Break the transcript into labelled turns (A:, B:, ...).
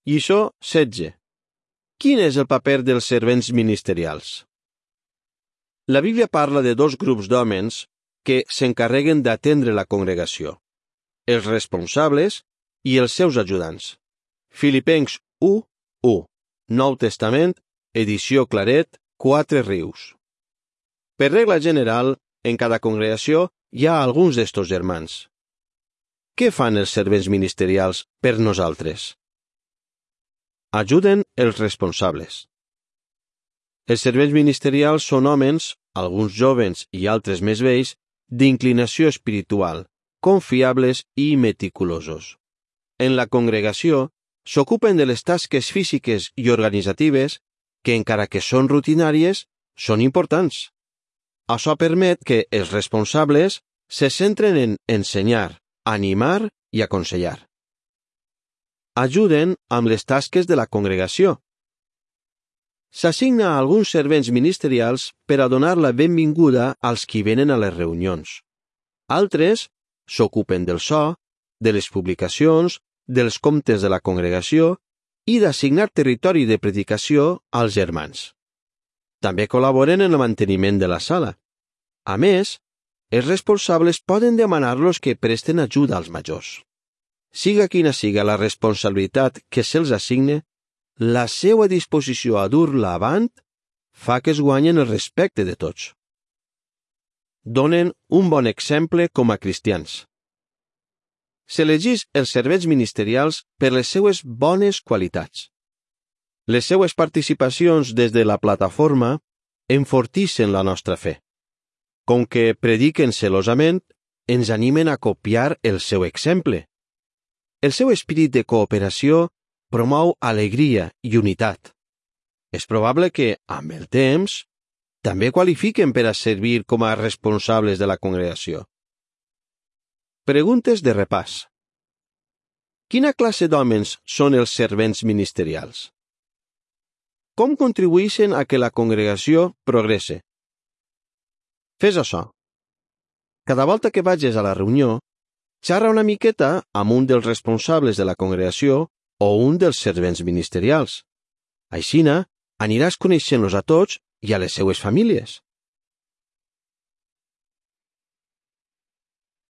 A: Lliçó 16. Quin és el paper dels servents ministerials? La Bíblia parla de dos grups d'homes que s'encarreguen d'atendre la congregació, els responsables i els seus ajudants. Filipencs 1:1, Nou Testament, edició Claret, 4 Rius. Per regla general, en cada congregació hi ha alguns d'estos germans. Què fan els servents ministerials per nosaltres? Ajuden els responsables. Els servents ministerials són homes, alguns jovens i altres més vells, d'inclinació espiritual, confiables i meticulosos. En la congregació s'ocupen de les tasques físiques i organitzatives que, encara que són rutinàries, són importants. Això permet que els responsables se centren en ensenyar, animar i aconsellar. Ajuden amb les tasques de la congregació. S'assigna a alguns servents ministerials per a donar la benvinguda als qui venen a les reunions. Altres s'ocupen del so, de les publicacions, dels comptes de la congregació i d'assignar territori de predicació als germans. També col·laboren en el manteniment de la sala. A més, els responsables poden demanar-los que presten ajuda als majors. Siga quina siga la responsabilitat que se'ls assigne, la seva disposició a dur-la avant fa que es guanyen el respecte de tots. Donen un bon exemple com a cristians. S'elegís els servents ministerials per les seues bones qualitats. Les seues participacions des de la plataforma enfortixen la nostra fe. Com que prediquen celosament, ens animen a copiar el seu exemple. El seu esperit de cooperació promou alegria i unitat. És probable que, amb el temps, també qualifiquen per a servir com a responsables de la congregació. Preguntes de repàs. Quina classe d'homes són els servents ministerials? Com contribueixen a que la congregació progresse? Fes això. Cada volta que vagis a la reunió, xerra una miqueta amb un dels responsables de la congregació o un dels servents ministerials. Aixina, aniràs coneixent-los a tots i a les seues famílies.